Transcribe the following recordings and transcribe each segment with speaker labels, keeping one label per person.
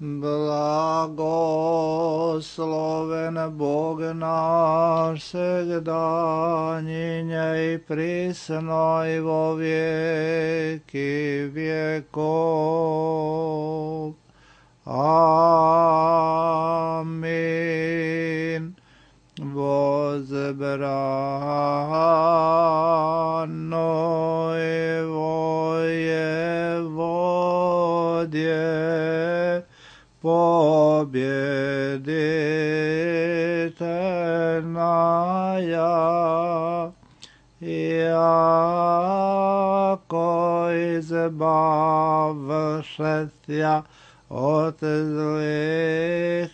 Speaker 1: Blagosloven Bog naš segdanjinje i prisno i vo vijeki vjekov. Amin. Возбрано его Еводье, победительная, яко избавшеся от злых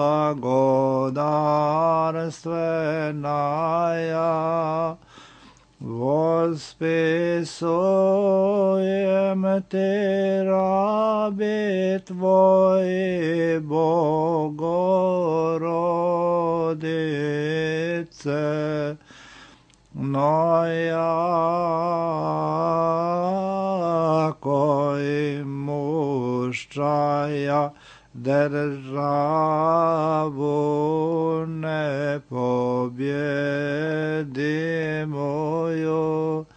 Speaker 1: благодарственная, восписуем Ты, раби Твои, Богородице, но яко имущая державу непобедимую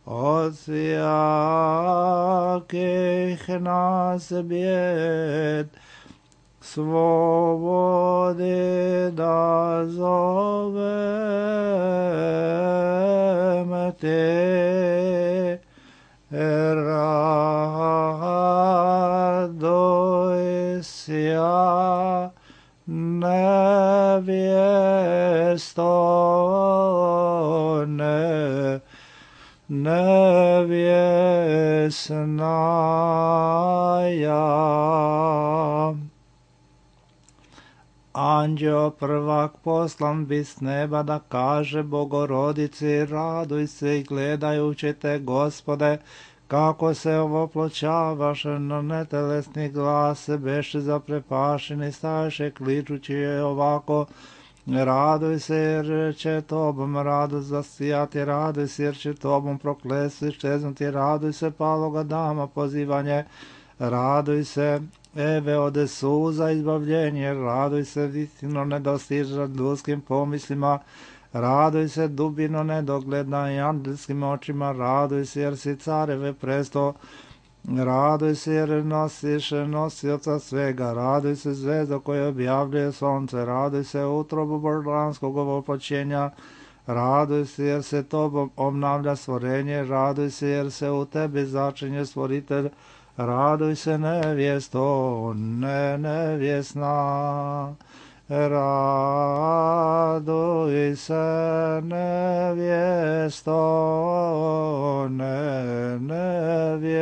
Speaker 1: от всяких нас бед, свободы дозовем Ты, радуйся, невестная. Anđeo prvak poslan bi s neba da kaže Bogorodici, raduj se i gledajući te, Gospode, kako se ovoploćavaš na netelesni glas, beše zaprepašeni, staješe kličući je ovako, raduj se jer će tobom radost zasijati, raduj se jer će tobom proklesti ščeznuti, raduj se paloga dama pozivanje, raduj se Eve ode suza izbavljenje, raduj se istino nedostiža ljudskim pomislima, raduj se dubino nedogledna i andelskim očima, raduj se jer si careve presto, raduj se jer nosiš nosioca svega, raduj se zvezda koja objavljuje sonce, raduj se utrobu božanskog ovoploćenja, raduj se jer se tobom obnavlja stvorenje, raduj se jer se u tebi začinje stvoritelj, raduj se nevjesto, nevjesna, raduj se nevjesto, nevjesna.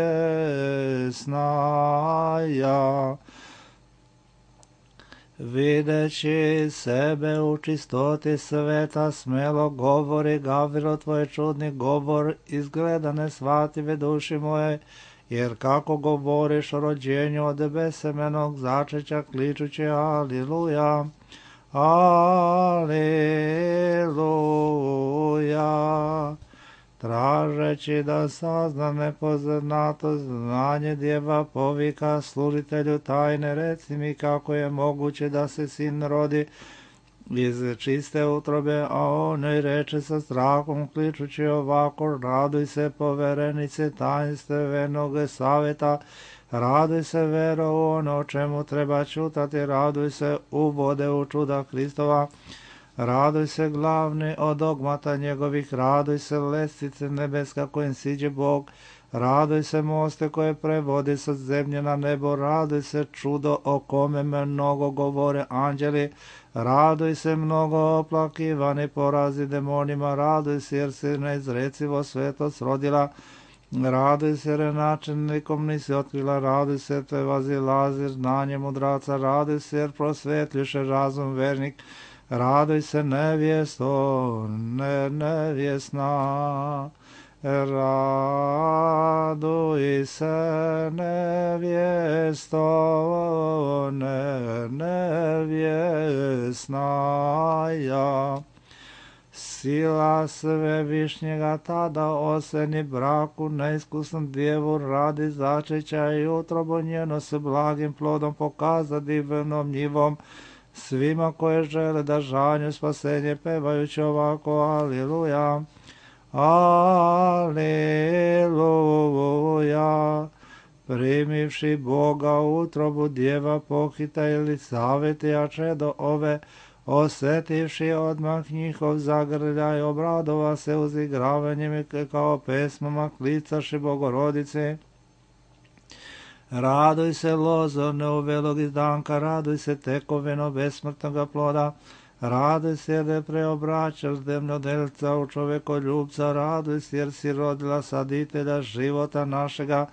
Speaker 1: Videći sebe u čistoti sveta, smelo govori, Gavrilo tvoj čudni govor, izgleda nesvative duši moje, jer kako govoriš o rođenju od besemenog začeća, kličući aliluja, aliluja. Tražeći da sazna nepoznato znanje, djeva povika služitelju tajne, reci mi kako je moguće da se sin rodi iz čiste utrobe, a on i reče sa strahom, kličući ovako, raduj se poverenice tajnstvenog savjeta, raduj se vero u ono o čemu treba čutati, raduj se uvode u čuda Hristova, raduj se glavni od dogmata njegovih, raduj se lestice nebeska kojim siđe Bog, raduj se moste koje prevodi sa zemlje na nebo, raduj se čudo o kome mnogo govore anđeli, raduj se mnogo oplakivani porazi demonima, raduj se jer se neizrecivo svetost rodila, raduj se jer načelnikom nisi otkrila, raduj se te vazilazi znanje mudraca, raduj se jer prosvetljuše razum vernik, raduj se nevjesto, nevjesna, raduj se nevjesto, nevjesna. Sila Svevišnjega tada oseni braku neiskusnom djevu radi začeća i utrobu njeno s blagim plodom pokaza divnom njivom svima koje žele da žanju spasenje pevajući ovako Aliluja, Aliluja. Primivši Boga u utrobu djeva pohita ili savjeti, a čedo ove osjetivši odmah njihov zagrljaj, obradova se uzigravanjem i kao pesmama klicaši Bogorodice. Raduj se lozo neuvelog izdanka, raduj se tekovino besmrtnoga ploda, raduj se jer je preobraćaš demnodelca u čovekoljubca, raduj se jer si rodila saditelja života našega,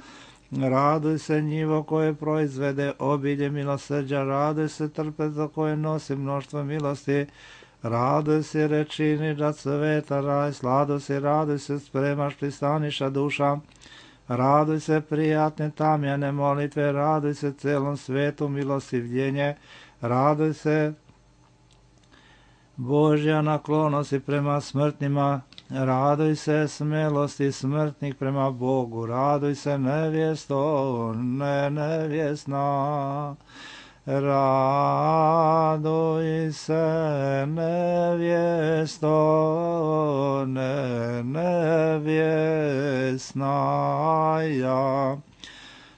Speaker 1: raduj se njivo koje proizvede obilje milosrđa, raduj se trpezo koje nosi mnoštvo milosti, raduj se rečiniča sveta raj, sladost i raduj se spremaš pristaniša duša, raduj se prijatne tamjane molitve, raduj se celom svetu milostivljenje, raduj se Božja naklonosti prema smrtnima, raduj se smelosti smrtnih prema Bogu, raduj se nevjesto, nevjesna, raduj se nevjesto, nevjesna, ja.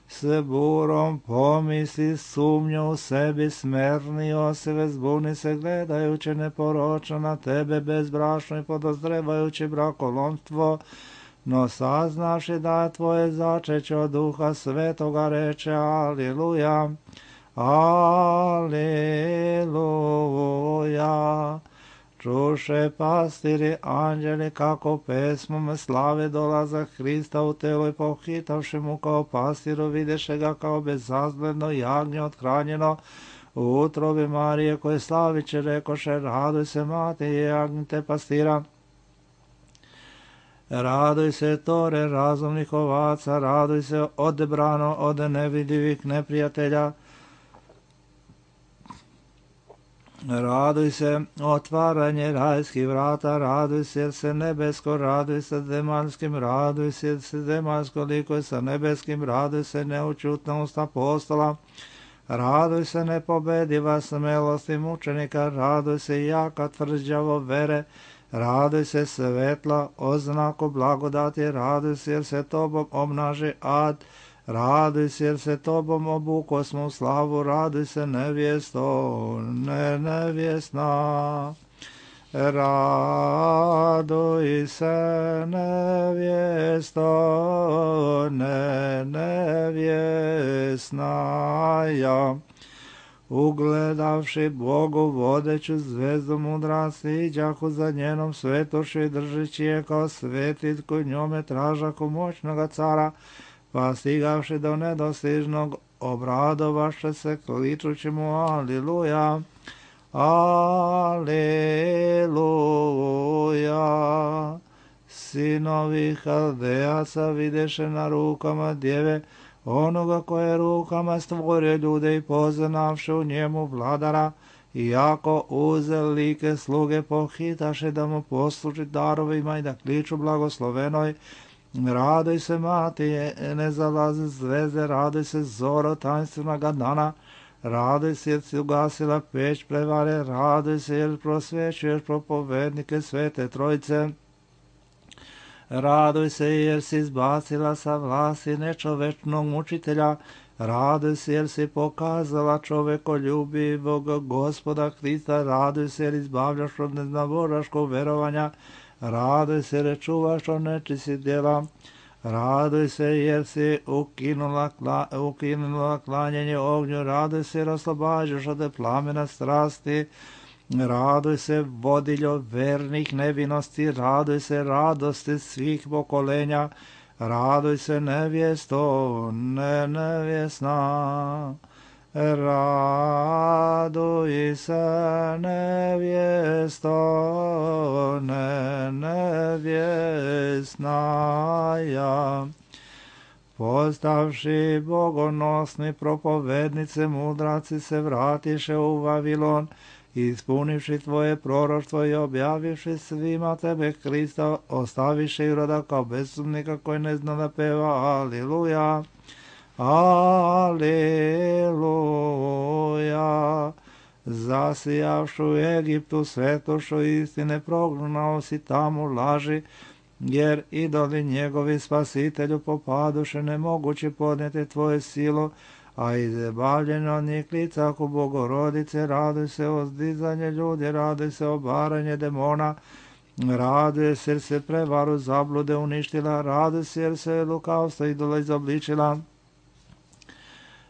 Speaker 1: S burom pomisli sumnju u sebi, smernio se, vezbuni se gledajući neporočno na tebe bezbrašno i podozrevajući brakolomstvo, no saznaš i da je tvoje začeće od Duha Svetoga, reče Aliluja, Aliluja. Čuše pastiri anđeli kako pesmom slave dolaza Hrista u telo i pohitavši mu kao pastiru, videše ga kao bezazgledno jagnje othranjeno u utrobi Marije, koje slaviće rekoše, raduj se mati i jagnjite pastira. Raduj se tore razumnih ovaca, raduj se odebrano od nevidljivih neprijatelja, raduj se otvaranje rajskih vrata, raduj se jer se nebesko, raduj se zemaljskim, raduj se jer se zemaljsko likuje sa nebeskim, raduj se neučutnost apostola, raduj se nepobediva smelosti mučenika, raduj se jaka tvrđavo vere, raduj se svetla oznaku blagodati, raduj se jer se tobom obnaži ad, raduj se jer se tobom obuko smo u slavu, raduj se nevjesto, nevjesna, raduj se nevjesto, nevjesna, ja. Ugledavši Bogu vodeću zvezdu mudrasti, iđahu za njenom svetošću i držeći je kao svetitku, njome tražaku moćnoga cara, pa stigavši do nedostižnog obradovaše se kličući mu Aliluja, Aliluja. Sinovi Haldejaca videše na rukama djeve onoga koje rukama stvorio ljude i poznavše u njemu vladara, iako uze like sluge pohitaše da mu posluži darovima i da kliču blagoslovenoj, raduj se mati, ne zalaze zvezde, raduj se zoro tajnstvenog dana, raduj se jer si ugasila peć prevare, raduj se jer prosvećuješ propovednike Svete Trojice, raduj se jer si izbacila sa vlasti nečovečnog mučitelja, raduj se jer si pokazala čovekoljubivog Gospoda Hrista, raduj se jer izbavljaš od neznavoraškog verovanja, raduj se jer čuvaš od nečistih djela, raduj se jer si ukinula klanjanje ognju, raduj se jer oslobađaš od plamena strasti, raduj se vodiljo vernih nevinosti, raduj se radosti svih pokolenja, raduj se nevjesto, nevjesna, raduj se nevjesto, nevjesna, ja. Postavši bogonosni propovednice, mudraci se vratiše u Vavilon ispunivši tvoje proroštvo i objavivši svima tebe Krista, ostaviše i roda kao bezsumnika koji ne zna da peva. Aleluja, aleluja. Zasijavšu u Egiptu svetošo istine, prognao si tamo laži, jer idoli njegovi spasitelju popaduše, nemoguće podnijeti tvoje silo, a izbavljeno od njih lica ku Bogorodice. Raduj se o zdizanje ljudi, raduj se o baranje demona, raduje se jer se prevaru zablude uništila, raduj se jer se lukavstvo idola izobličila.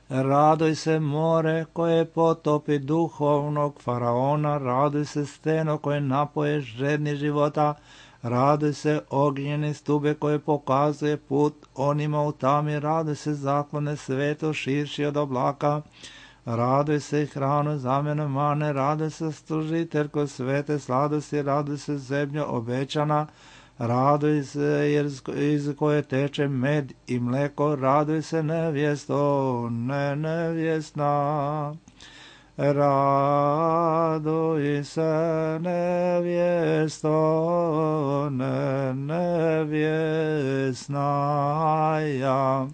Speaker 1: Raduj se more koje potopi duhovnog faraona, raduj se steno koje napoje žedni života, raduj se ognjeni stube koje pokazuje put onima u tami, raduj se zaklone sveto širši od oblaka, raduj se hranu zamjenu mane, raduj se stružiteljko svete sladosti, raduj se zemljo obećana, raduj se jer iz koje teče med i mleko, raduj se nevjesto, nevjesna. Raduj se nevjesto, nevjesna ja.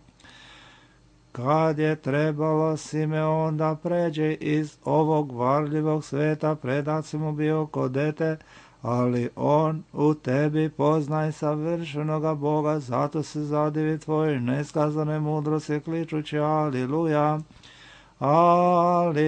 Speaker 1: Kad je trebalo Simeon da pređe iz ovog varljivog sveta, predat si mu bio ko dete, ali on u tebi poznaj savršenoga Boga, zato se zadivi tvojoj neskazane mudrosti, kličući aleluja, aleluja.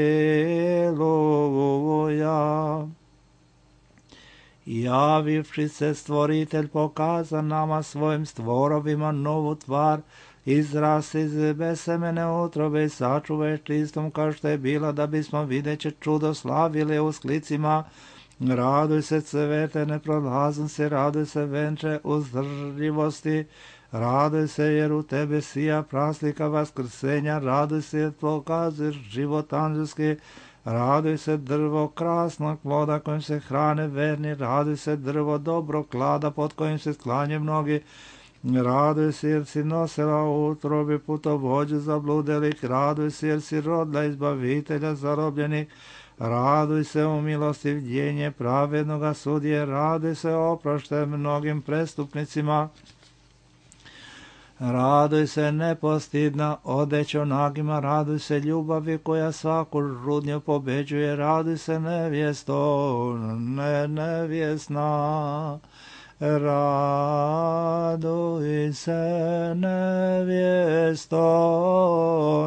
Speaker 1: Javivši se stvoritelj pokaza nama svojim stvorovima novu tvar, izrasti iz besemene utrobe i sačuvaj čistom kao što je bila, da bismo videće čudo slavili u sklicima. Raduj se cvete neprolaznosti, raduj se venče uzdržljivosti, raduj se jer u tebe sija praslika vaskrsenja, raduj se jer pokazuješ život anđelski, raduj se drvo krasnog ploda kojim se hrane verni, raduj se drvo dobro klada pod kojim se sklanje mnogi, raduj se jer si nosila u utrobi putovođu zabludelih, raduj se jer si rodila izbavitelja zarobljenih, raduj se u milostivljenje pravednoga sudije, raduj se oprošte mnogim prestupnicima, raduj se nepostidna odećo nagima, raduj se ljubavi koja svaku žudnju pobeđuje, raduj se nevjesto, nevjesna. Raduj se nevjesto,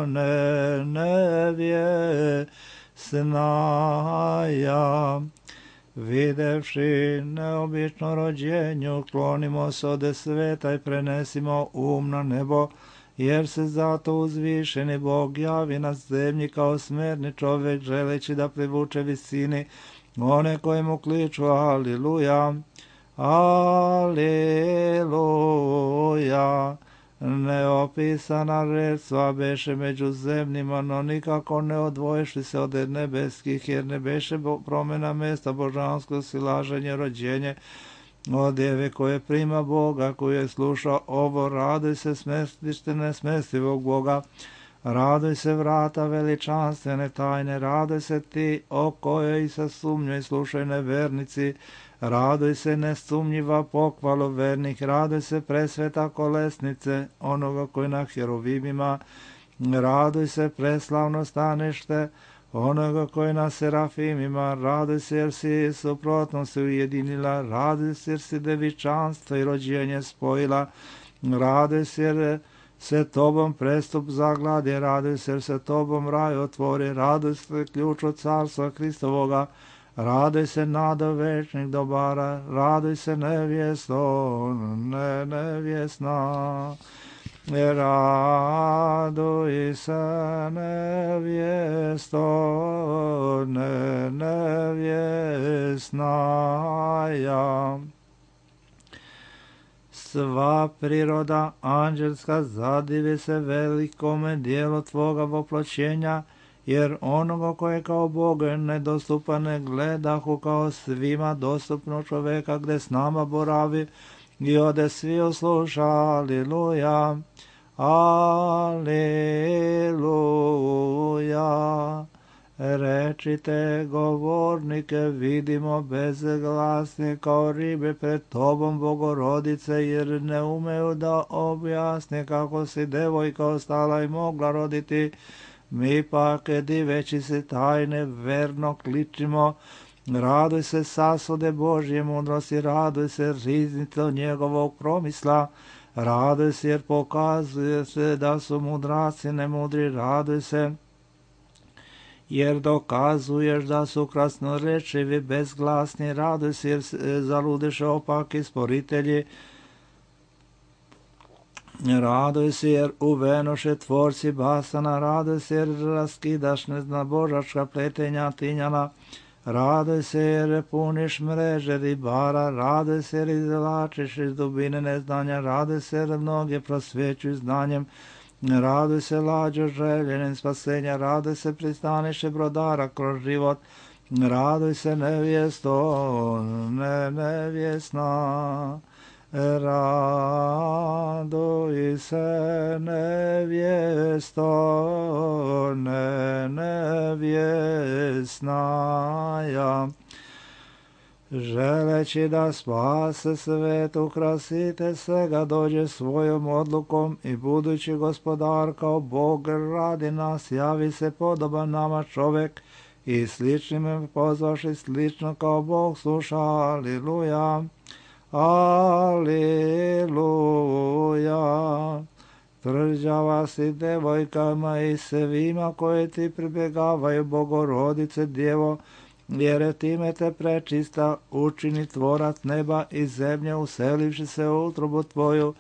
Speaker 1: nevjesna ja. Videvši neobično rođenju, klonimo se ode sveta i prenesimo na nebo, jer se zato uzvišeni Bog javi na zemlji kao smerni čovjek, želeći da privuče visini one koji mu kliču aleluja, aleluja. Neopisana redstva beše među zemljima, no nikako ne odvoješli se od nebeskih, jer ne beše promjena mesta božansko silaženje, rođenje od djeve koje prima Boga, koji je slušao ovo. Raduj se smestište nesmestivog Boga, raduj se vrata veličanstvene tajne, raduj se ti o kojoj sa sumnjoj slušaj nevernici, raduj se nesumnjiva pohvalo vernih, raduj se presveta kolesnice onoga koji na heruvimima, raduj se preslavno stanište onoga koji na serafimima, raduj se jer si suprotno se ujedinila, raduj se jer si devičanstvo i rođenje spojila, raduj se jer se tobom prestup zagladi, raduj se jer se tobom raj otvori, raduj se ključ od carstva Hristovoga, raduj se nado večnih dobara, raduj se nevjesto, nevjesna. Raduj se nevjesto, nevjesna ja. Sva priroda anđelska zadivi se velikome dijelu tvoga voploćenja, jer onoga koje kao Boga nedostupan ne gledahu kao svima dostupno čoveka gde s nama boravi i ode svi osluša, aleluja, aleluja. Rečite govornike, vidimo bezglasni kao ribe pred tobom, Bogorodice, jer ne umeju da objasne kako si devojka ostala i mogla roditi. Mi pak, diveći se tajne, verno kličimo, raduj se sasude Božje mudrosti, raduj se riznico njegovog promisla, raduj se jer pokazuje se da su mudraci nemudri, raduj se jer dokazuješ da su krasnorečivi, bezglasni, raduj se jer zaludeše opaki sporitelji, raduj se jer uvenoše tvorci basana, raduj se jer raskidaš neznabožačka pletenja tinjana, raduj se jer puniš mreže ribara, raduj se jer izvlačiš iz dubine neznanja, raduj se jer mnoge prosvećuj znanjem, raduj se lađo željenim spasenja, raduj se pristaniše brodara kroz život, raduj se nevjesto, nevjesna, raduj se nevjesto, nevjesnaja. Želeći da spase svet, ukrasite svega, dođe svojom odlukom i budući gospodar kao Bog radi nas, javi se podoban nama čovek i sličnim pozvaši slično kao Bog sluša. Aliluja, aliluja. Tvrđava si devojkama i svima koji ti pribjegavaju, Bogorodice Djevo, jer time te prečista učini tvorac neba i zemlje, uselivši se u utrobu tvoju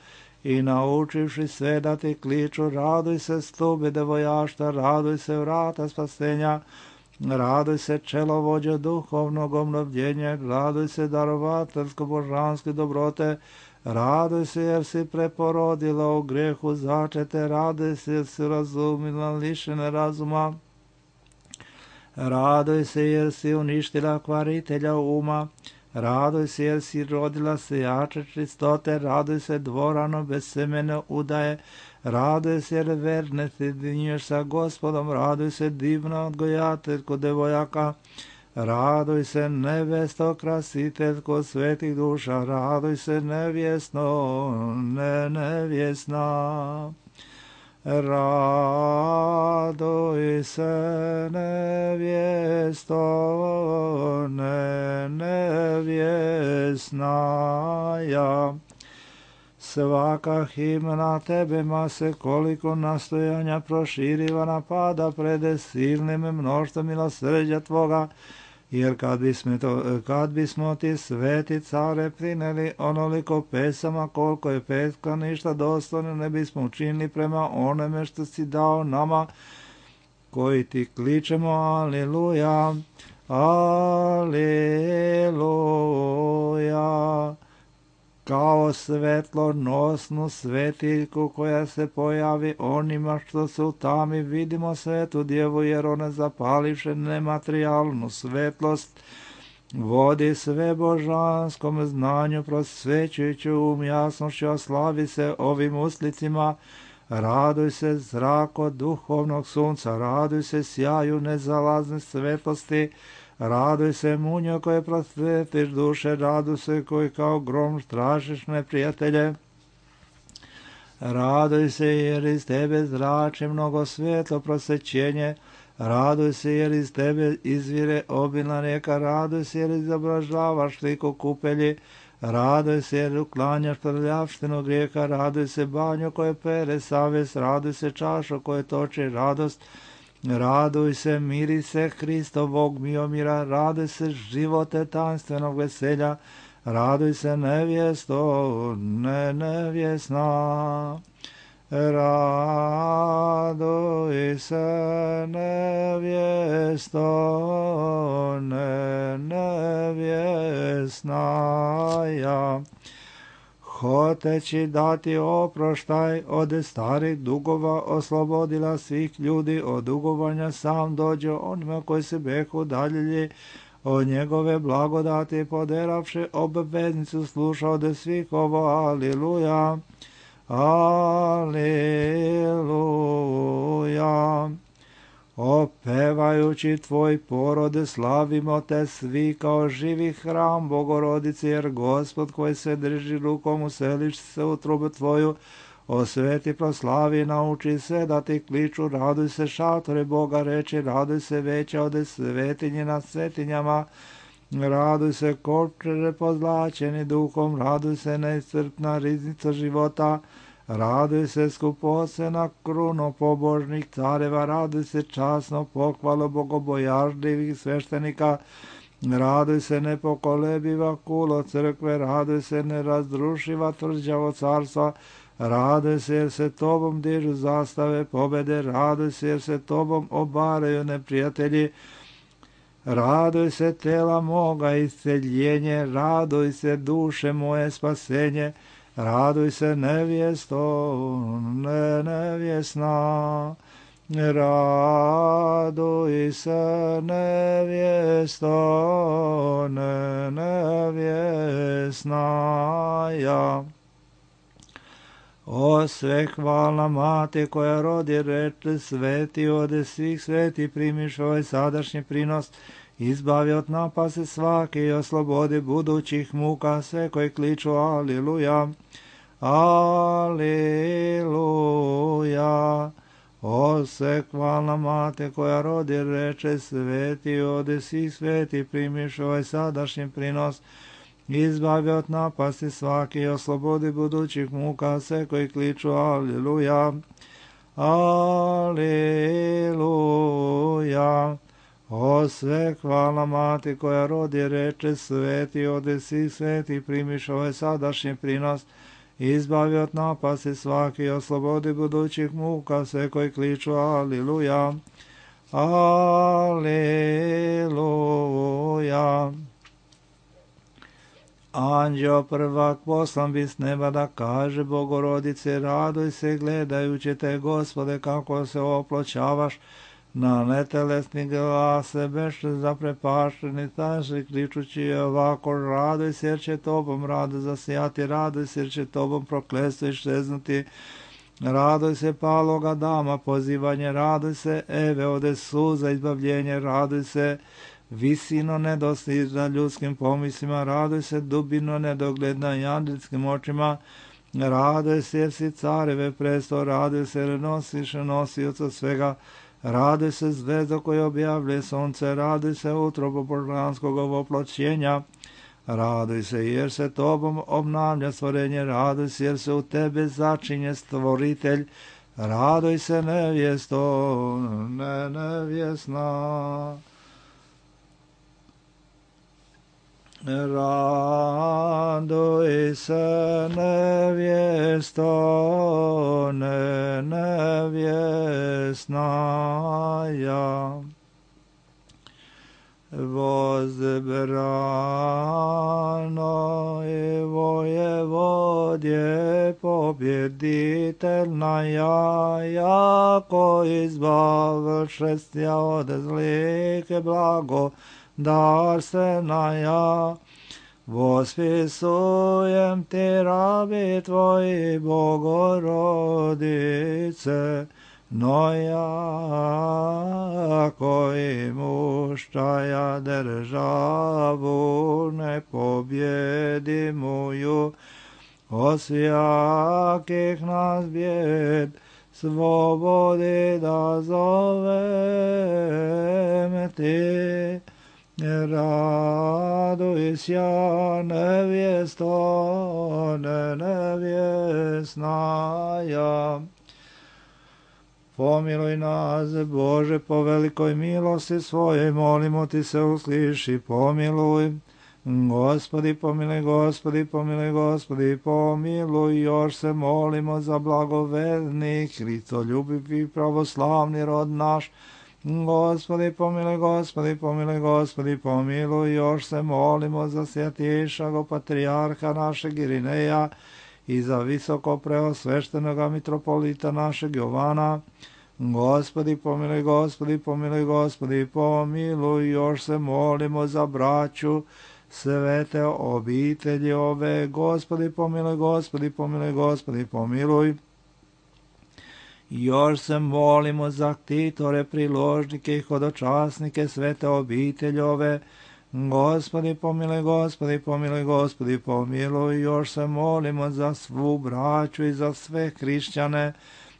Speaker 1: i naučivši sve da ti kliču. Raduj se stube devojašta, raduj se vrata spasenja, raduj se čelovođe duhovnog obnovljenja, raduj se darovateljsko božanske dobrote, raduj se jer si preporodila u grehu začete, raduj se jer si razumila lišene razuma, raduj se jer si uništila kvaritelja uma, raduj se jer si rodila sijače čistote, raduj se dvorano bez semene udaje, raduj se jer verne si dinješ sa Gospodom, raduj se divna odgojateljko devojaka, raduj se nevesto krasiteljko svetih duša, raduj se nevjesno, nevjesna. Raduj se nevjesto, nevjesnaja. Svaka himna tebe mase koliko nastojanja proširiva napada prede silnim mnoštvom milosrđa tvoga, jer kad bismo ti sveti care prineli onoliko pesama koliko je petka ništa dostojno ne bismo učinili prema onome što si dao nama koji ti kličemo aliluja, aliluja. Kao svetlonosnu svetiljku koja se pojavi onima što su tami, vidimo svetu djevu jer ona zapalivše nematerijalnu svetlost vodi sve božanskom znanju prosvećujući jasnošću, a slavi se ovim uslicima. Raduj se zrako duhovnog sunca, raduj se sjaju nezalazne svetlosti, raduj se munjo koje prosvetiš duše, raduj se koji kao grom strašiš neprijatelje. Raduj se jer iz tebe zrači mnogo svetlo prosvećenje, raduj se jer iz tebe izvire obilna rijeka, raduj se jer izobražavaš liku kupelji, raduj se jer uklanjaš prljavštinu grijeha, raduj se banjo koje pere savest, raduj se čašo koje toči radost, raduj se mirise Hristovog miomira, raduj se živote tajanstvenog veselja, raduj se nevjesto, nevjesna. Raduj se nevjesto, nevjesnaja. Hoteći dati oproštaj od starih dugova, oslobodila svih ljudi od dugovanja, sam dođe onima koji se behu udaljili od njegove blagodati, poderavši obveznicu, sluša od svih ovo, aliluja, aliluja. Opevajući tvoj porode, slavimo te svi kao živi hram Bogorodice, jer Gospod koji se drži rukom useliš se u trubu tvoju, osveti, proslavi, nauči se da ti kliču, raduj se šatore Boga reči, raduj se veća ode svetinje nad svetinjama, raduj se kopčere pozlačeni duhom, raduj se neiscrpna riznica života, raduj se skupocena kruno pobožnih careva, raduj se časno pohvalo bogobojažljivih sveštenika, raduj se nepokolebiva kulo crkve, raduj se nerazdrušiva tvrđavo carstva, raduj se jer se tobom dižu zastave pobede, raduj se jer se tobom obaraju neprijatelji, raduj se tela moga isceljenje, raduj se duše moje spasenje, raduj se nevjesto, nevjesna, raduj se nevjesto, nevjesna ja. O svehvalna mati koja rodi reče sveti, ode svih sveti primiš ovaj sadašnji prinos, izbavi od napase svake i oslobodi budućih muka sve koji kliču aliluja, aliluja. O svehvalna mati koja rodi reče sveti, ode svih sveti primiš ovaj sadašnji prinos, izbavi od napasti svaki i oslobodi budućih muka sve koji kliču aliluja, aliluja. O svehvalna mati koja rodi reče sveti, ode svih sveti primiš ovaj sadašnji prinos, izbavi od napasti svaki i oslobodi budućih muka sve koji kliču aliluja, aliluja. Anđeo prvak poslan bi s neba da kaže Bogorodice, raduj se gledajući te, Gospode, kako se oploćavaš, na netelesni glase beš zaprepašteni, taši kličući ovako, raduj se jer će tobom rado zasijati, raduj se jer će tobom prokletstvo iščeznuti, raduj se paloga dama pozivanje, raduj se Eve ode suza izbavljenje, raduj se visino nedostižna ljudskim pomislima, raduj se dubino nedogledna anđelskim očima, raduj se jer si careve presto, raduj se jer nosiš nosioca svega, raduj se zvezdo koje objavlje sunce, raduj se utrobo božanskog oploćenja, raduj se jer se tobom obnavlja stvorenje, raduj se jer se u tebe začinje stvoritelj, raduj se nevjesto, nevjesna. Raduj se nevjesto, nevjesna ja. Возбрано и воеводje победительна я, яко избавшестя od zlike blago, дарствена я, восписуем ти раби твои, Богородице, но яко имущая державу непобедимую, от всяких нас бед свободы да зовем ти. Радуйся, невесто, невесная. Pomiluj nas, Bože, po velikoj milosti svojoj, molimo ti se, usliši, pomiluj. Gospodi, pomiluj, Gospodi, pomiluj, Gospodi, pomiluj. Još se molimo za blagoverni, hristoljubivi pravoslavni rod naš. Gospodi, pomiluj, Gospodi, pomiluj, Gospodi, pomiluj. Još se molimo za svjatišago patrijarha našeg Irineja i za visoko preosveštenoga mitropolita našeg Jovana. Gospodi, pomiluj, Gospodi, pomiluj, Gospodi, pomiluj. Još se molimo za braću svete obitelji ove. Gospodi, pomiluj, Gospodi, pomiluj, Gospodi, pomiluj. Još se molimo za ktitore, priložnike i hodočasnike svete obiteljove. Gospodi pomiluj, Gospodi pomiluj, Gospodi pomiluj. Još se molimo za svu braću i za sve hrišćane.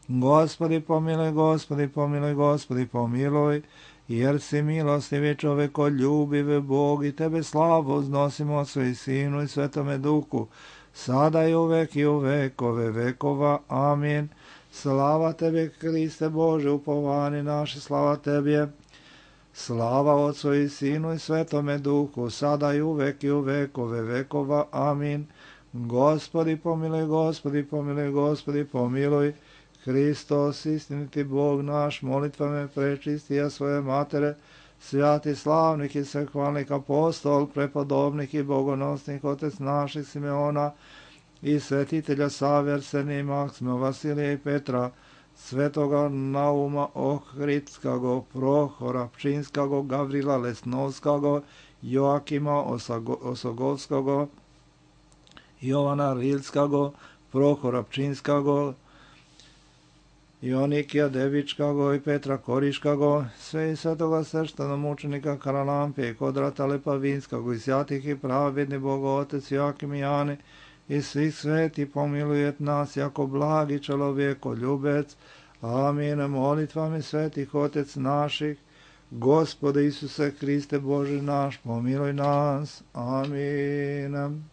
Speaker 1: Gospodi pomiluj, Gospodi pomiluj, Gospodi pomiluj. Jer si milostivi čovekoljubiv Bog i tebe slavu uznosimo Otcu i Sinu i Svetome Duhu, sada i uvek i u vekove vekova. Amin. Slava tebi, Hriste Bože, upovani naši, slava tebi. Slava Otcu i Sinu i Svetome Duhu, sada i uvek i u vekove vekova. Amin. Gospodi pomiluj, Gospodi pomiluj, Gospodi pomiluj. Hristos, istiniti Bog naš, molitvame prečistija svoje matere, svjati slavnih i svehvalnih apostol, prepodobnih i bogonosnih otec naših Simeona i svetitelja Save, Arsenija i Maksima, Vasilija i Petra, svetoga Nauma Ohridskago, Prohora Pčinskago, Gavrila Lesnovskago, Joakima Osogovskago, Jovana Rilskago, Prohora Pčinskago, Ionikija Devičkago i Petra Koriškago, sve i svetoga srštana mučenika Karalampije i Kodrata Lepavinskago i svjatih i pravedni Bogo Otec Joakim i Jani i svih sveti pomilujet nas jako blagi čelovjeko ljubec. Amin. Molitvami svetih Otec naših, Gospode Isuse Hriste Bože naš, pomiluj nas. Amin.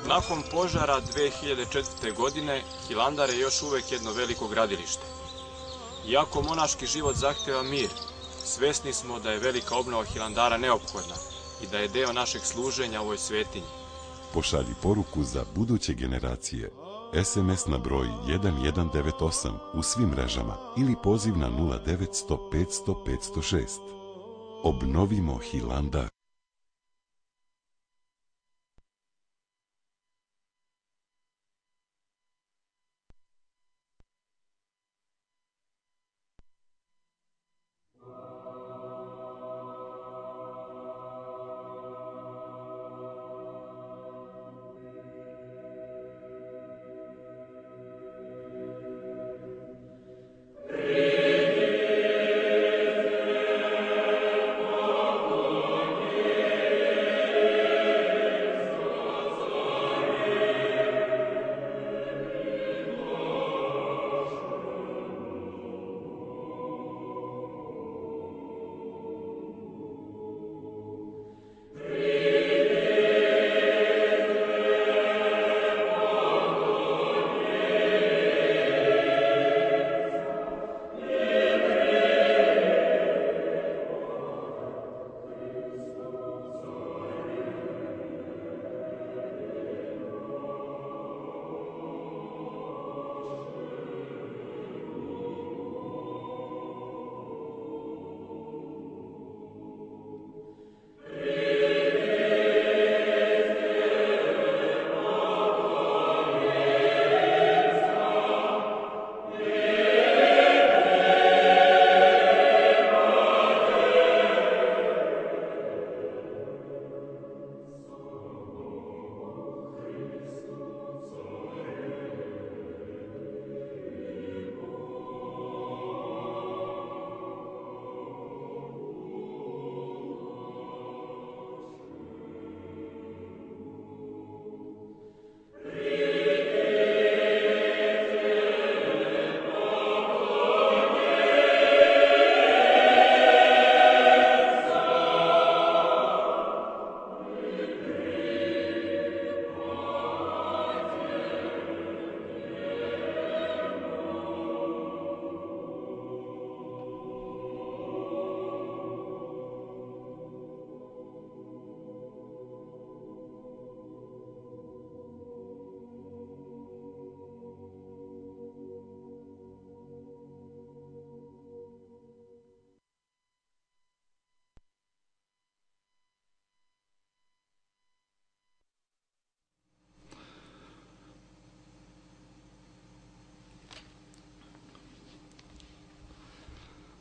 Speaker 2: Nakon požara 2004. godine, Hilandar je još uvek jedno veliko gradilište. Iako monaški život zahteva mir, svesni smo da je velika obnova Hilandara neophodna i da je deo našeg služenja ovoj svetinji.
Speaker 3: Pošalji poruku za buduće generacije. SMS na broj 1198 u svim mrežama ili poziv na 0900 500 506. Obnovimo Hilandar.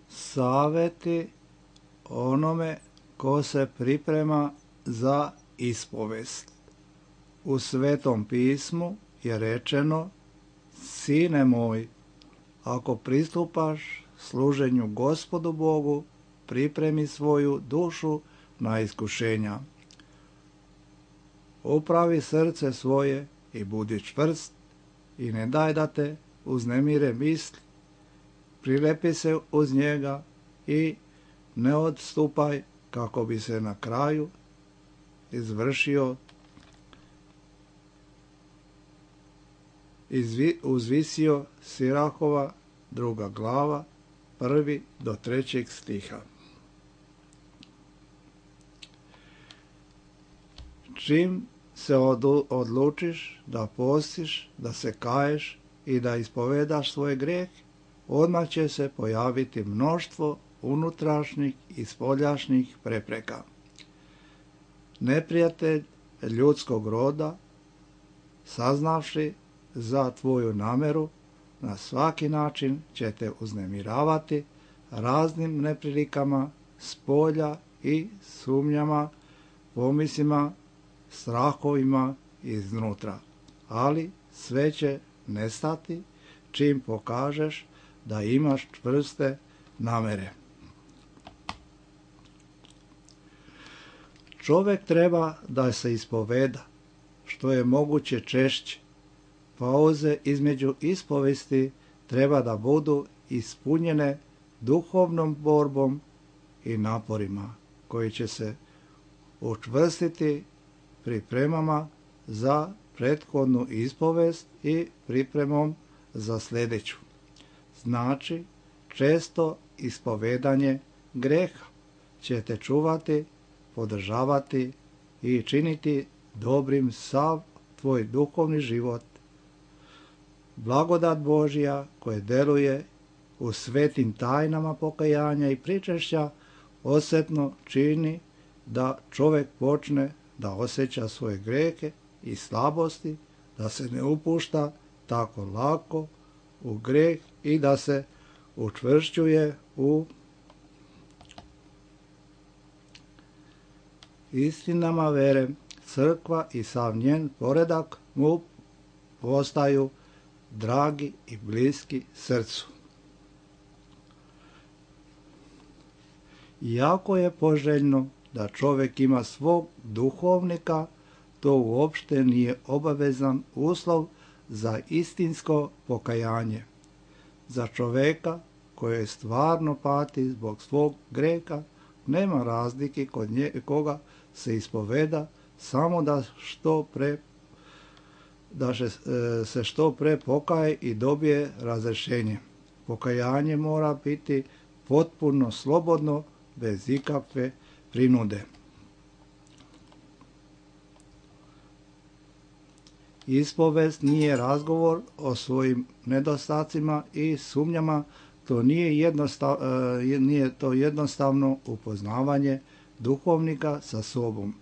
Speaker 1: Saveti onome ko se priprema za ispovest. U Svetom pismu je rečeno: Sine moj, ako pristupaš služenju Gospodu Bogu, pripremi svoju dušu na iskušenja. Upravi srce svoje i budi čvrst i ne daj da te uznemire misli. Prilepi se uz njega i ne odstupaj, kako bi se na kraju uzvisio Sirahova 2. glava 1. do 3. stiha. Čim se odlučiš da postiš, da se kaješ i da ispovedaš svoj grijeh, odmah će se pojaviti mnoštvo unutrašnjih i spoljašnjih prepreka. Neprijatelj ljudskog roda, saznavši za tvoju nameru, na svaki način će te uznemiravati raznim neprilikama spolja i sumnjama, pomislima, strahovima iznutra. Ali sve će nestati čim pokažeš da imaš čvrste namere. Čovjek treba da se ispoveda što je moguće češće. Pauze između ispovesti treba da budu ispunjene duhovnom borbom i naporima koji će se učvrstiti pripremama za prethodnu ispovest i pripremom za sljedeću. Znači, često ispovedanje greha će te čuvati, podržavati i činiti dobrim sav tvoj duhovni život. Blagodat Božja koja deluje u svetim tajnama pokajanja i pričešća osjetno čini da čovjek počne da osjeća svoje grehe i slabosti, da se ne upušta tako lako u greh i da se učvršćuje u istinama vere. Crkva i sav njen poredak mu postaju dragi i bliski srcu. Iako je poželjno da čovjek ima svog duhovnika, to uopšte nije obavezan uslov za istinsko pokajanje. Za čovjeka koji stvarno pati zbog svog greha nema razlike kod koga se ispoveda, samo da se što pre pokaje i dobije razrješenje. Pokajanje mora biti potpuno slobodno, bez ikakve prinude. Ispovest nije razgovor o svojim nedostacima i sumnjama, to nije jednostavno upoznavanje duhovnika sa sobom.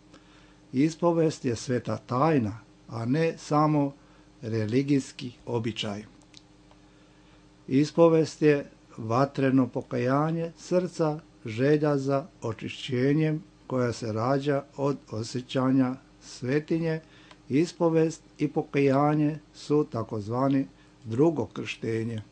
Speaker 1: Ispovest je sveta tajna, a ne samo religijski običaj. Ispovest je vatreno pokajanje srca, želja za očišćenjem koja se rađa od osjećanja svetinje. Ispovest i pokajanje su takozvani drugo krštenje.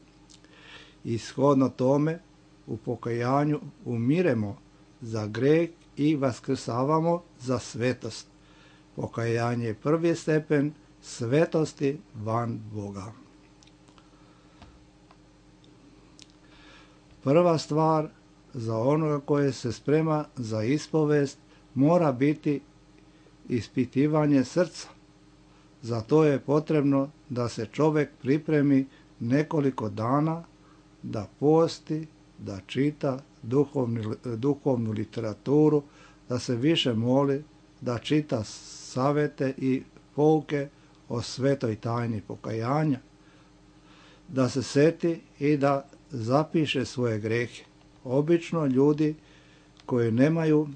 Speaker 1: Ishodno tome u pokajanju umiremo za greh i vaskrsavamo za svetost. Pokajanje je prvi stepen svetosti van Boga. Prva stvar za onoga koje se sprema za ispovest mora biti ispitivanje srca. Za to je potrebno da se čovjek pripremi nekoliko dana, da posti, da čita duhovnu literaturu, da se više moli, da čita savete i pouke o svetoj tajni pokajanja, da se seti i da zapiše svoje grehe. Obično ljudi koji nemaju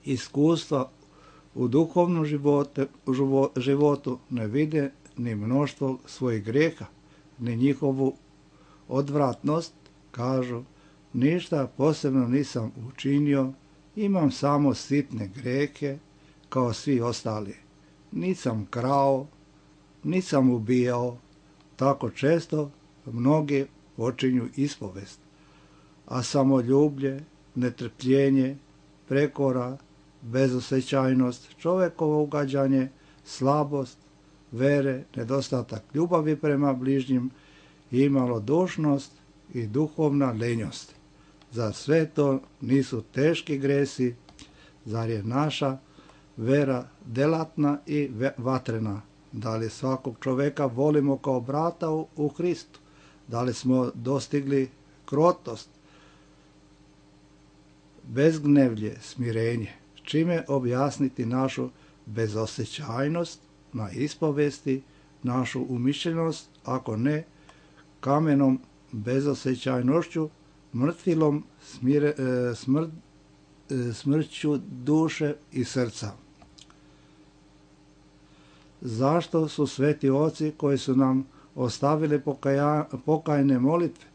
Speaker 1: iskustva u duhovnom životu ne vide ni mnoštvo svojih greha, ni njihovu odvratnost. Kažu, ništa posebno nisam učinio, imam samo sitne grehe kao svi ostali. Nisam krao, nisam ubijao. Tako često mnogi počinju ispovest. A samoljublje, netrpljenje, prekora, bezosjećajnost, čovjekovo ugađanje, slabost, vere, nedostatak ljubavi prema bližnjim i malodušnost i duhovna lenjost. Zar sve to nisu teški gresi? Zar je naša vera delatna i vatrena? Da li svakog čovjeka volimo kao brata u Hristu? Da li smo dostigli krotost, bezgnevlje, smirenje? Čime objasniti našu bezosjećajnost na ispovesti, našu umišljenost, ako ne kamenom bezosjećajnošću, mrtvilom smrću duše i srca? Zašto su sveti oci koji su nam ostavili pokajne molitve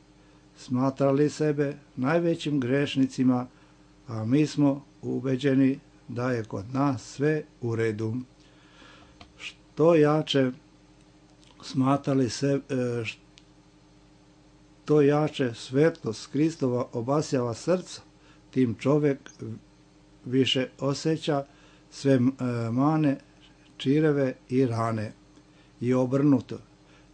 Speaker 1: smatrali sebe najvećim grešnicima, a mi smo ubeđeni da je kod nas sve u redu? Što jače smatrali se, što jače svetlost Kristova obasjava srca, tim čovjek više osjeća sve mane, čireve i rane. I obrnuto,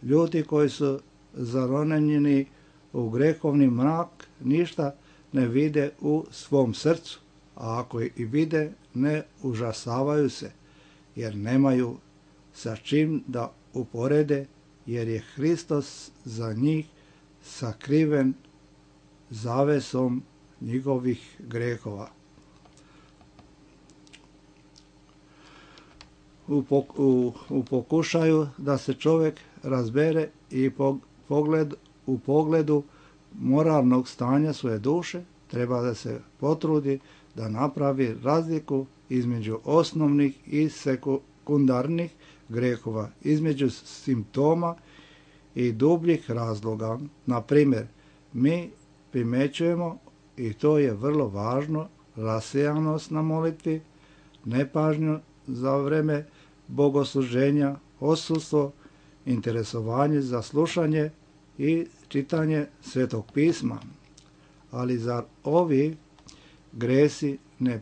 Speaker 1: ljudi koji su zaronjeni u grehovni mrak ništa ne vide u svom srcu, a ako i vide, ne užasavaju se, jer nemaju sa čim da uporede, jer je Hristos za njih sakriven zavesom njihovih grehova. U pokušaju da se čovjek razbere i u pogledu moralnog stanja svoje duše, treba da se potrudi da napravi razliku između osnovnih i sekundarnih grehova, između simptoma i dubljih razloga. Na primjer, mi primećujemo, i to je vrlo važno, rasejanost na molitvi, nepažnju za vreme bogosluženja, odsustvo, interesovanje za slušanje i čitanje Svetog pisma. Ali zar ovi gresi ne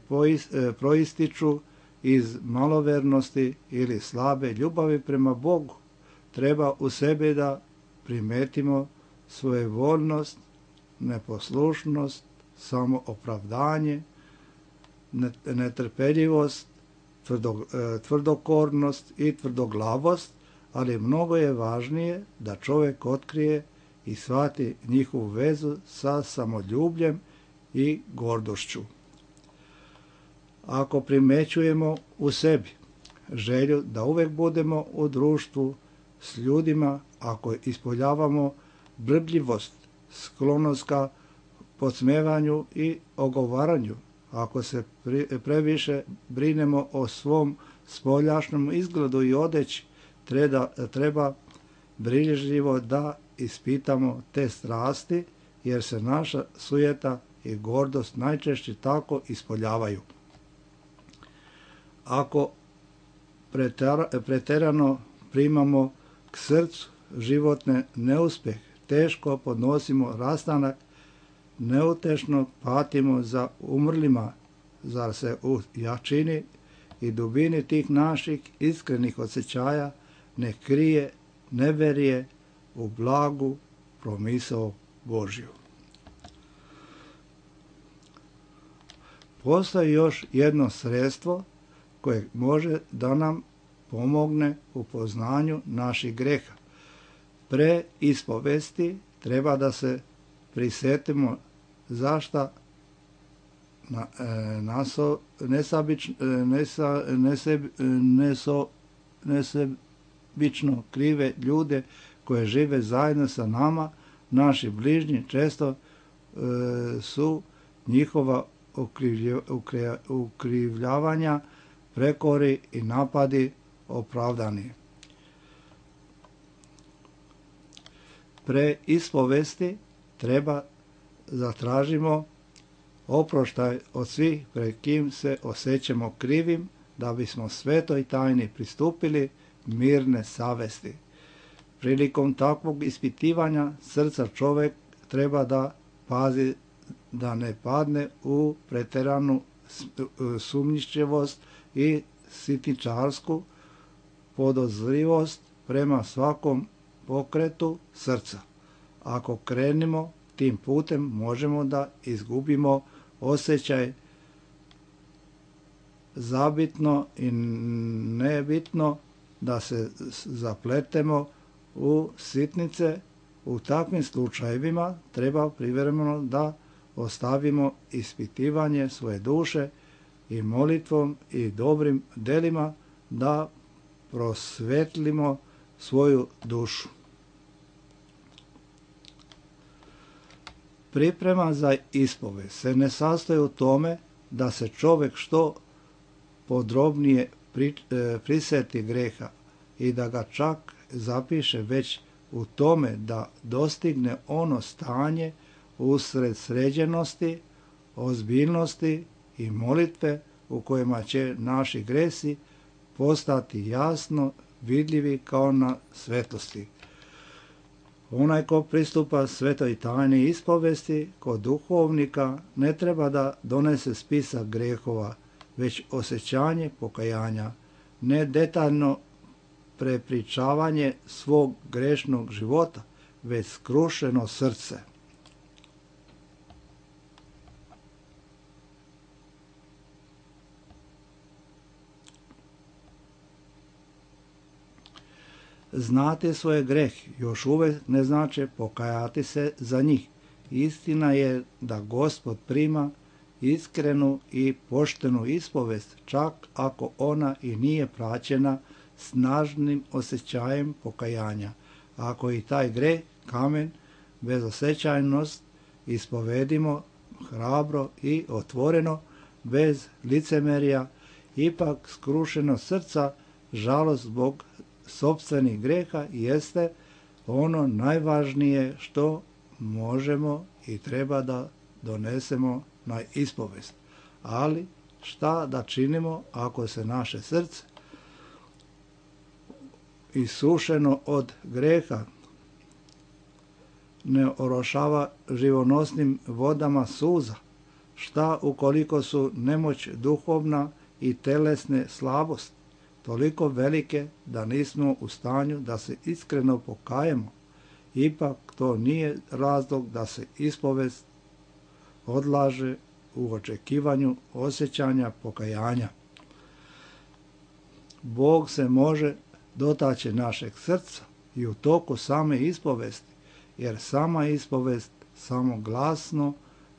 Speaker 1: proističu iz malovernosti ili slabe ljubavi prema Bogu? Treba u sebi da primetimo svojevoljnost, neposlušnost, samoopravdanje, netrpeljivost, tvrdokornost i tvrdoglavost, ali mnogo je važnije da čovjek otkrije i shvati njihovu vezu sa samoljubljem i gordošću. Ako primećujemo u sebi želju da uvek budemo u društvu s ljudima, ako ispoljavamo brbljivost, sklonost ka podsmevanju i ogovaranju, ako se previše brinemo o svom spoljašnjem izgledu i odeći, treba brižljivo da ispitamo te strasti, jer se naša sujeta i gordost najčešće tako ispoljavaju. Ako preterano primamo k srcu životne neuspjeh, teško podnosimo rastanak, neutešno patimo za umrlima, zar se u jačini i dubini tih naših iskrenih osjećaja ne krije neverije u blagu promisao Božju. Postoji još jedno sredstvo koje može da nam pomogne u poznanju naših greha. Pre ispovesti treba da se prisetimo zašta nesebično krive ljude koje žive zajedno sa nama, naši bližnji, često su njihova ukrivljavanja, prekori i napadi opravdani. Pre ispovesti treba zatražimo oproštaj od svih pred kim se osjećamo krivim, da bismo svetoj tajni pristupili mirne savesti. Prilikom takvog ispitivanja srca čovjek treba da pazi da ne padne u preteranu sumnjičavost i sitničarsku podozrivost prema svakom pokretu srca. Ako krenemo tim putem, možemo da izgubimo osjećaj zabitno i nebitno, da se zapletemo u sitnice. U takvim slučajevima treba privremeno da ostavimo ispitivanje svoje duše i molitvom i dobrim delima da prosvetlimo svoju dušu. Priprema za ispovest se ne sastoji u tome da se čovjek što podrobnije priseti greha i da ga čak zapiše, već u tome da dostigne ono stanje usred sređenosti, ozbiljnosti i molitve u kojima će naši gresi postati jasno vidljivi kao na svetlosti. Onaj ko pristupa svetoj tajni ispovesti kod duhovnika ne treba da donese spisak grehova, već osjećanje pokajanja, ne detaljno prepričavanje svog grešnog života, već skrušeno srce. Znati svoje grehe još uvijek ne znači pokajati se za njih. Istina je da Gospod prima iskrenu i poštenu ispovest, čak ako ona i nije praćena snažnim osjećajem pokajanja. Ako i taj greh, kamen, bezosjećajnost ispovedimo hrabro i otvoreno, bez licemerja, ipak skrušeno srca, žalost zbog sopstvenih greha jeste ono najvažnije što možemo i treba da donesemo na ispovest. Ali šta da činimo ako se naše srce isušeno od greha ne orošava živonosnim vodama suza? Šta ukoliko su nemoć duhovna i telesne slabost toliko velike da nismo u stanju da se iskreno pokajemo? Ipak to nije razlog da se ispovest odlaže u očekivanju osjećanja pokajanja. Bog se može dotaći našeg srca i u toku same ispovesti, jer sama ispovest, samo glasno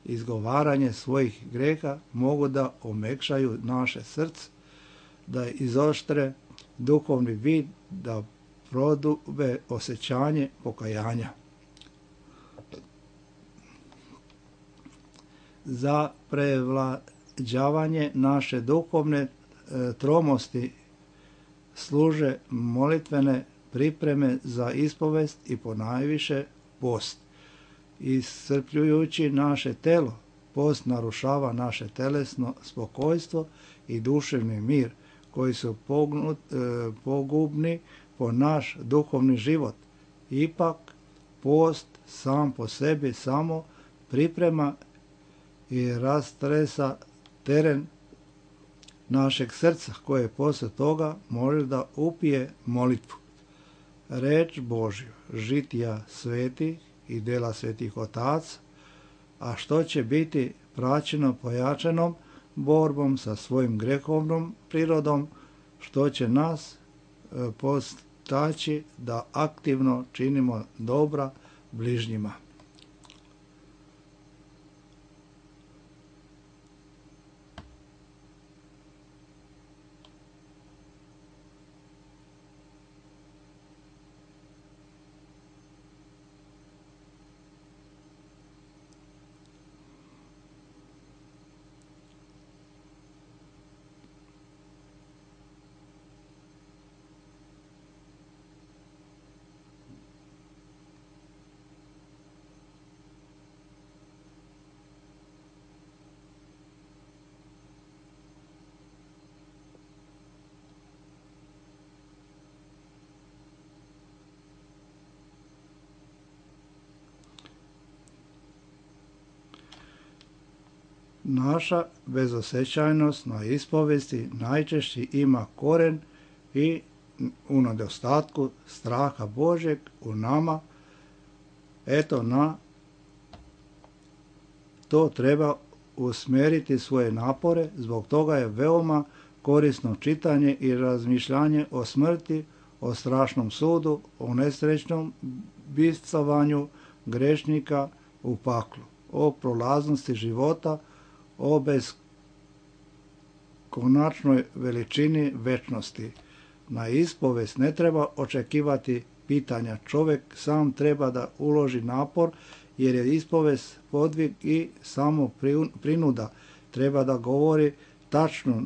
Speaker 1: izgovaranje svojih greha mogu da omekšaju naše srce, da izoštre duhovni vid, da prodube osjećanje pokajanja. Za prevlađavanje naše duhovne tromosti služe molitvene pripreme za ispovest i ponajviše post. Iscrpljujući naše telo, post narušava naše telesno spokojstvo i duševni mir, koji su pogubni po naš duhovni život. Ipak, post sam po sebi samo priprema i rastresa teren našeg srca, koje posle toga može da upije molitvu. Reč Božju, žitija svetih i dela svetih otaca, a što će biti praćeno pojačanom borbom sa svojim grehovnom prirodom, što će nas postaći da aktivno činimo dobra bližnjima. Naša bezosjećajnost na ispovesti najčešće ima koren i u nedostatku straha Božeg u nama. Eto, na to treba usmjeriti svoje napore, zbog toga je veoma korisno čitanje i razmišljanje o smrti, o strašnom sudu, o nesrećnom bicovanju grešnika u paklu, o prolaznosti života, o beskonačnoj veličini večnosti. Na ispovest ne treba očekivati pitanja. Čovjek sam treba da uloži napor, jer je ispovest podvig i samo prinuda. Treba da govori tačno,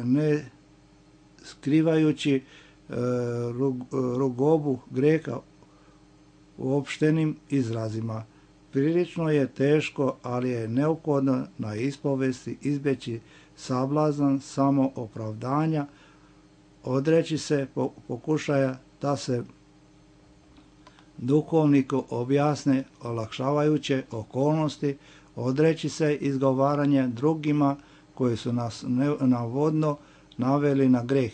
Speaker 1: ne skrivajući rugobu greha uopštenim izrazima. Prilično je teško, ali je neophodno na ispovesti izbjeći sablazan samoopravdanja, odreći se pokušaja da se duhovniku objasne olakšavajuće okolnosti, odreći se izgovaranja drugima koji su nas navodno naveli na greh.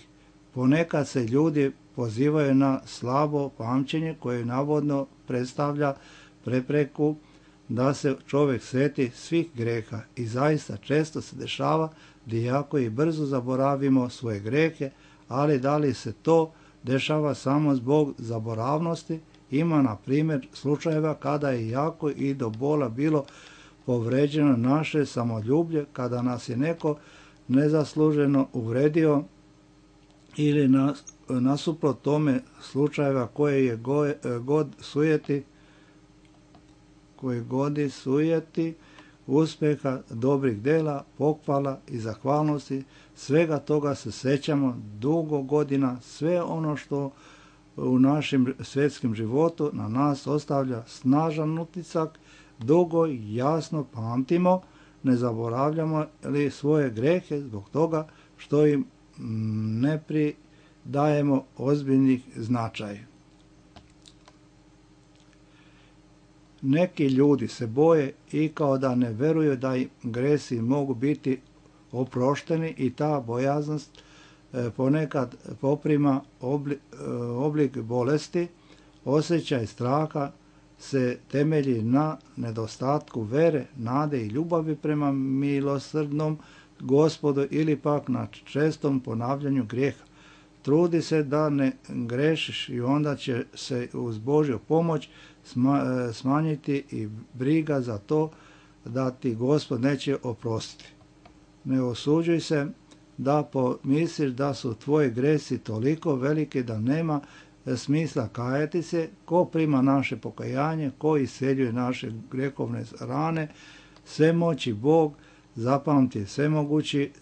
Speaker 1: Ponekad se ljudi pozivaju na slabo pamćenje koje navodno predstavlja prepreku da se čovjek sjeti svih greha, i zaista često se dešava da jako i brzo zaboravimo svoje grehe, ali da li se to dešava samo zbog zaboravnosti. Ima, na primjer, slučajeva kada je jako i do bola bilo povređeno naše samoljublje, kada nas je neko nezasluženo uvredio ili nasuprot tome slučajeva koje godi sujeti, uspjeha, dobrih dela, pohvala i zahvalnosti, svega toga se sećamo dugo godina, sve ono što u našem svjetskim životu na nas ostavlja snažan utisak, dugo i jasno pamtimo, ne zaboravljamo li svoje grehe zbog toga što im ne pridajemo ozbiljnih značaj. Neki ljudi se boje i kao da ne veruju da im gresi mogu biti oprošteni i ta bojaznost ponekad poprima oblik bolesti. Osjećaj straha se temelji na nedostatku vere, nade i ljubavi prema milosrdnom Gospodu ili pak na čestom ponavljanju grijeha. Trudi se da ne grešiš i onda će se uz Božju pomoć smanjiti i briga za to da ti Gospod neće oprostiti. Ne osuđuj se da pomisliš da su tvoji gresi toliko veliki da nema smisla kajati se. Ko prima naše pokajanje, ko isceljuje naše grehovne rane, svemoći Bog, zapamti,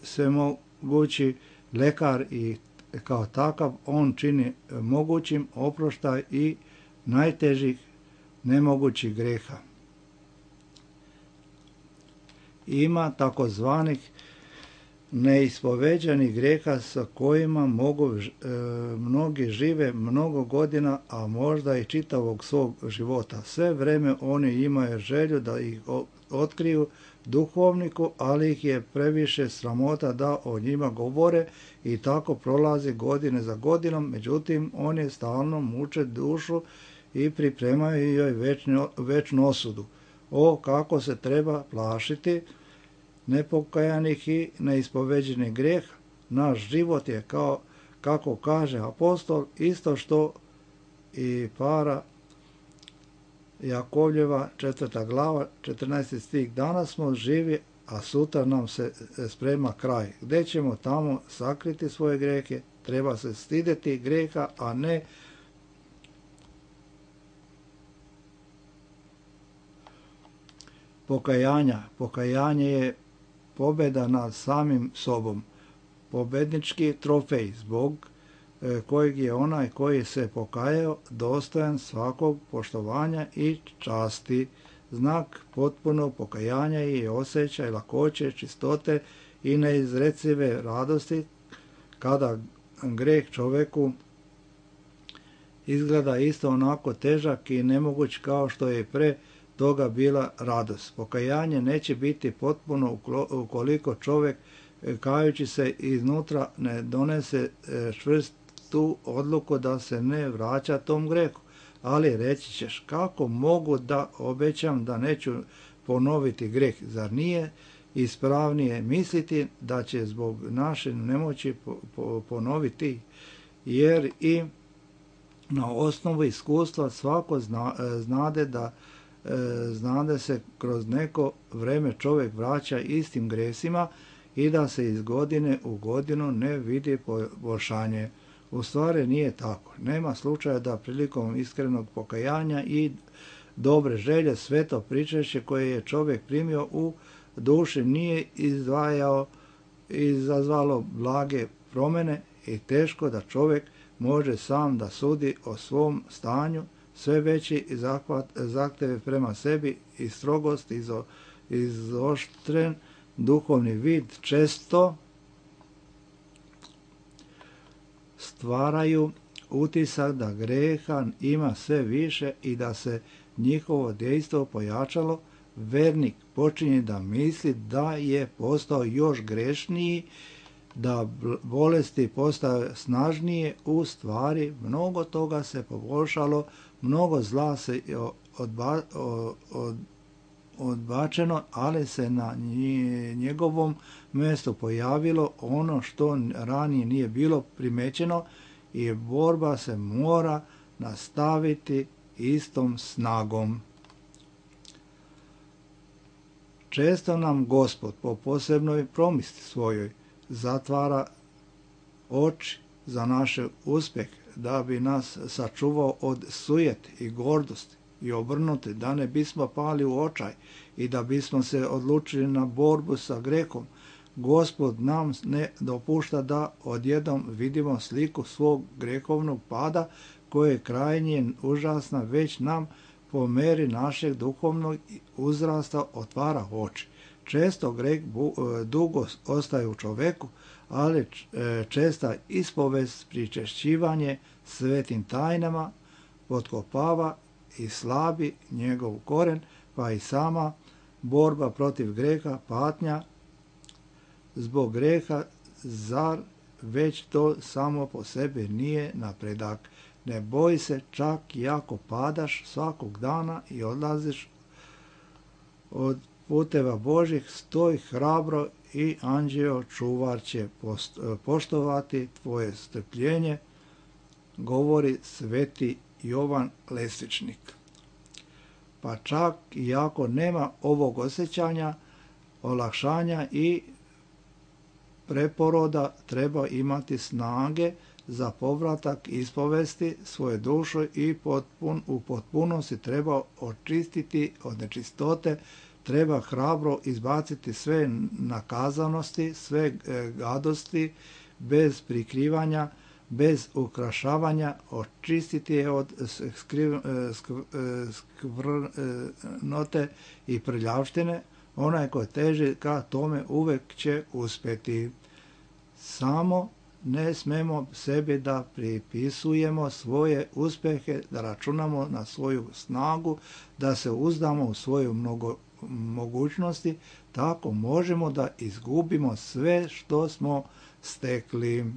Speaker 1: svemogući lekar i kao takav on čini mogućim oproštaj i najtežih nemogućih greha. Ima takozvanih neispoveđanih greha sa kojima mnogi žive mnogo godina, a možda i čitavog svog života. Sve vreme oni imaju želju da ih otkriju duhovniku, ali ih je previše sramota da o njima govore i tako prolazi godine za godinom. Međutim, oni stalno muče dušu i pripremaju joj večnu osudu. O, kako se treba plašiti nepokajanih i neispoveđenih greha. Naš život je, kako kaže apostol, isto što i para Jakovljeva 4. glava 14. stih. Danas smo živi, a sutra nam se sprema kraj. Gdje ćemo tamo sakriti svoje grehe? Treba se stideti greha, a ne pokajanja. Pokajanje je pobjeda nad samim sobom. Pobjednički trofej zbog kojeg je onaj koji se pokajao dostojan svakog poštovanja i časti. Znak potpunog pokajanja je osjećaj lakoće, čistote i neizrecive radosti kada greh čovjeku izgleda isto onako težak i nemoguć kao što je pre toga bila radost. Pokajanje neće biti potpuno ukoliko čovjek kajući se iznutra ne donese čvrstu odluku da se ne vraća tom grehu. Ali reći ćeš, kako mogu da obećam da neću ponoviti greh? Zar nije ispravnije misliti da će zbog naše nemoći ponoviti? Jer i na osnovu iskustva svako znade se kroz neko vreme čovjek vraća istim gresima i da se iz godine u godinu ne vidi poboljšanje. U stvari nije tako. Nema slučaja da prilikom iskrenog pokajanja i dobre želje sveto pričešće koje je čovjek primio u duši nije izazvalo blage promjene i teško da čovjek može sam da sudi o svom stanju. Sve veći zahtjeve prema sebi i strogost, izoštren duhovni vid često stvaraju utisak da greha ima sve više i da se njihovo dejstvo pojačalo. Vernik počinje da misli da je postao još grešniji, da bolesti postaju snažnije. U stvari mnogo toga se poboljšalo, mnogo zla se odbačeno, ali se na njegovom mjestu pojavilo ono što ranije nije bilo primećeno i borba se mora nastaviti istom snagom. Često nam Gospod po posebnoj promisli svojoj zatvara oči za naš uspjeh, da bi nas sačuvao od sujete i gordosti i obrnuti, da ne bismo pali u očaj i da bismo se odlučili na borbu sa grehom. Gospod nam ne dopušta da odjednom vidimo sliku svog grehovnog pada koja je krajnje užasna, već nam po meri našeg duhovnog uzrasta otvara oči. Često greh dugo ostaje u čoveku, ali česta ispovest, pričešćivanje svetim tajnama potkopava i slabi njegov koren, pa i sama borba protiv greha, patnja zbog greha, zar već to samo po sebi nije napredak. Ne boj se, čak i ako padaš svakog dana i odlaziš od puteva Božih, stoj hrabro i anđeo čuvar će poštovati tvoje strpljenje, govori sveti Jovan Lesličnik. Pa čak i ako nema ovog osjećanja, olakšanja i preporoda, treba imati snage za povratak ispovesti svoje duše i u potpunosti treba očistiti od nečistote, treba hrabro izbaciti sve nakazanosti, sve gadosti, bez prikrivanja, bez ukrašavanja, očistiti je od skvrnote i prljavštine. Onaj ko teži ka tome uvek će uspjeti. Samo ne smemo sebi da pripisujemo svoje uspjehe, da računamo na svoju snagu, da se uzdamo u svoju mogućnosti, tako možemo da izgubimo sve što smo stekli.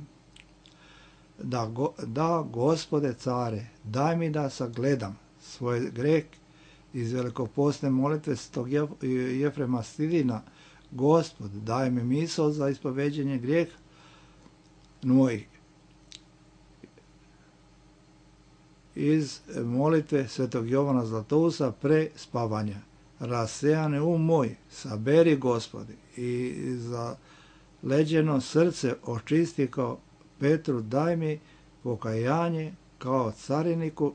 Speaker 1: Da, Gospode care, daj mi da sagledam svoj greh iz velikopostne molitve Svetog Jefrema Sidina. Gospod, daj mi misao za ispoveđenje grijeha mojih. Iz molitve Svetog Jovana Zlatousa pre spavanja. Rasejane moj, saberi, Gospodi, i za leđeno srce očisti kao Petru, daj mi pokajanje kao cariniku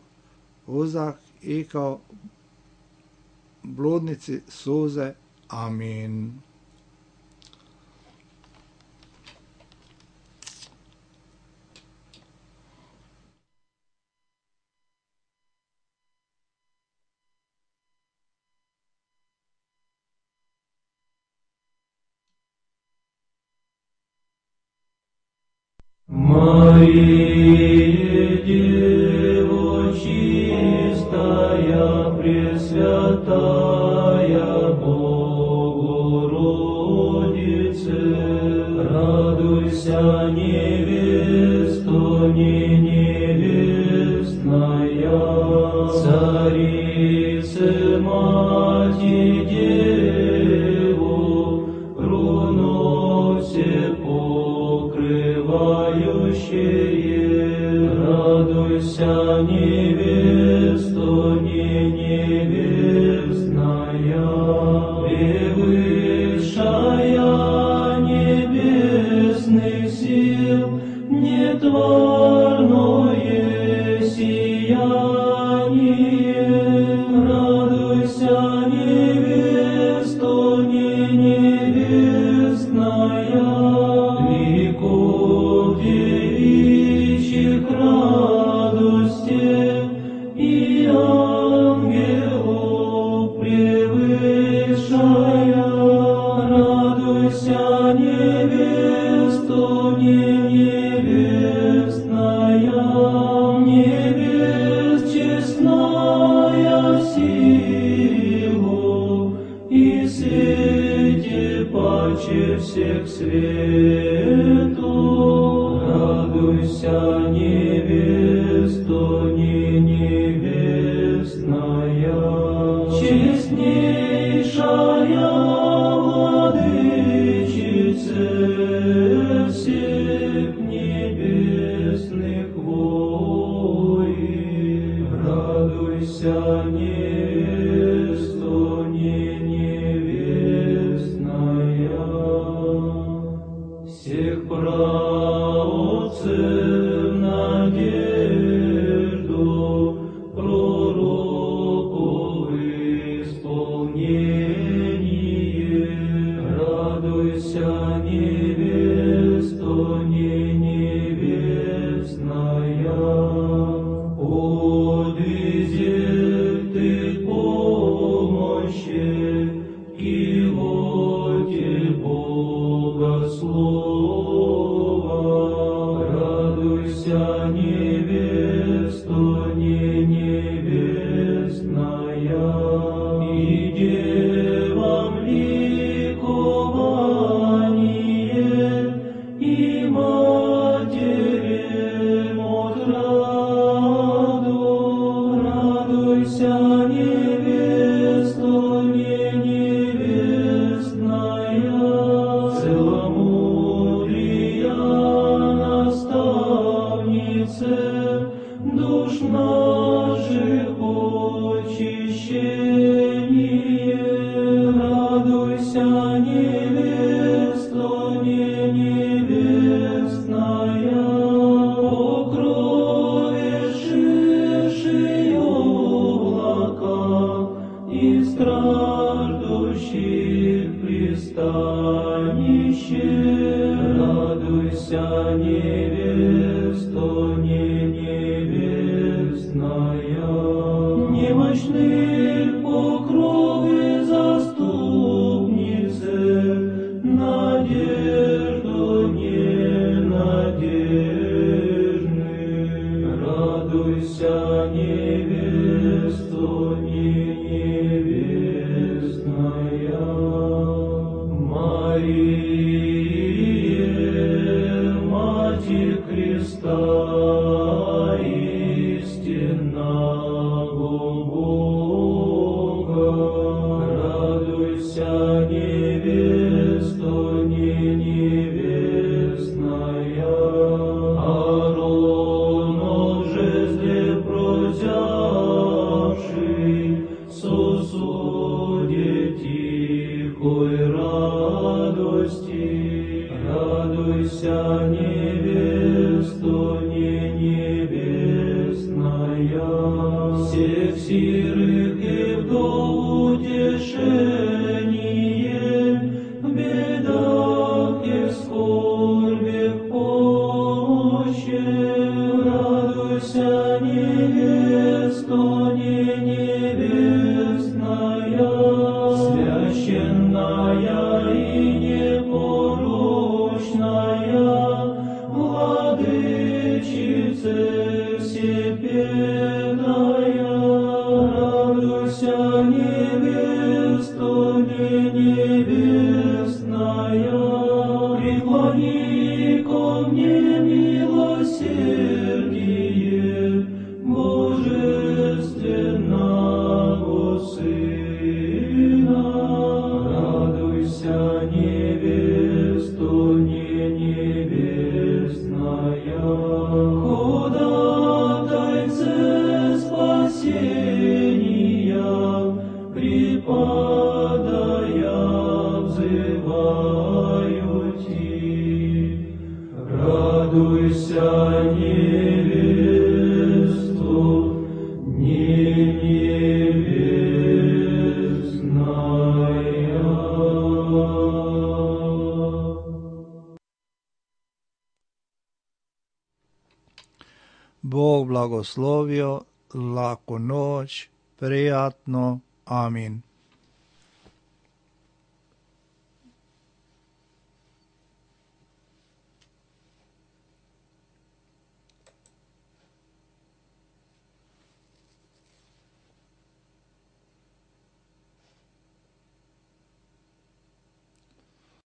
Speaker 1: uzdah i kao bludnici suze. Amin.
Speaker 4: Мария, Дева чистая, Пресвятая Богородице, радуйся, невеста, не невестная, Царице, Мати, Деву, крону все покрывающее, радуйся, невеста, не невестная, превышая небесных сил, нетворное сияние, радуйся, невеста, не невестная, веков девичьих радости и ангелов превышая, радуйся, невеста, не невестная, невест честная силу и свете паче всех свету, радуйся, невеста, не невестная, честнейшая владычице всех небесных войск. невесту не невестная, всех праотцев надежду пророков исполнение. Радуйся, невесто не невестная, подвезет ты помощи и воде Бога слова. Радуйся, невесто не невестная, и девам ликование, и матерям отраду. Радуйся, невесто не невестная, целомудрия наставнице душ наших очищение. Радуйся, невесто не невестная, покровивши облака и страждущих пристанище. Радуйся, невесто не невестная, немощных покровы заступницы, надежду ненадежных. Радуйся, невесто не невестная, Мария, Матерь Христа, истинного Бога. Радуйся, невесто не невестная, Ааронов жезле прозявший, сосуде тихой радости. Радуйся, невесто не невестная, всех сирых и вдов утешение, в бедах и в скорбях помощи. Радуйся, невесто не невестная, священная и непорочная, владычице всепедная. Радуйся, невесто не невестная, преклони ко мне милосердие Божественного Сына. Радуйся, невесто не невестная, ходатайце спасения, припадая взываю Ти. Радуйся, невесто не невестная.
Speaker 1: Bog blagoslovio, laku noć, prijatno, amin.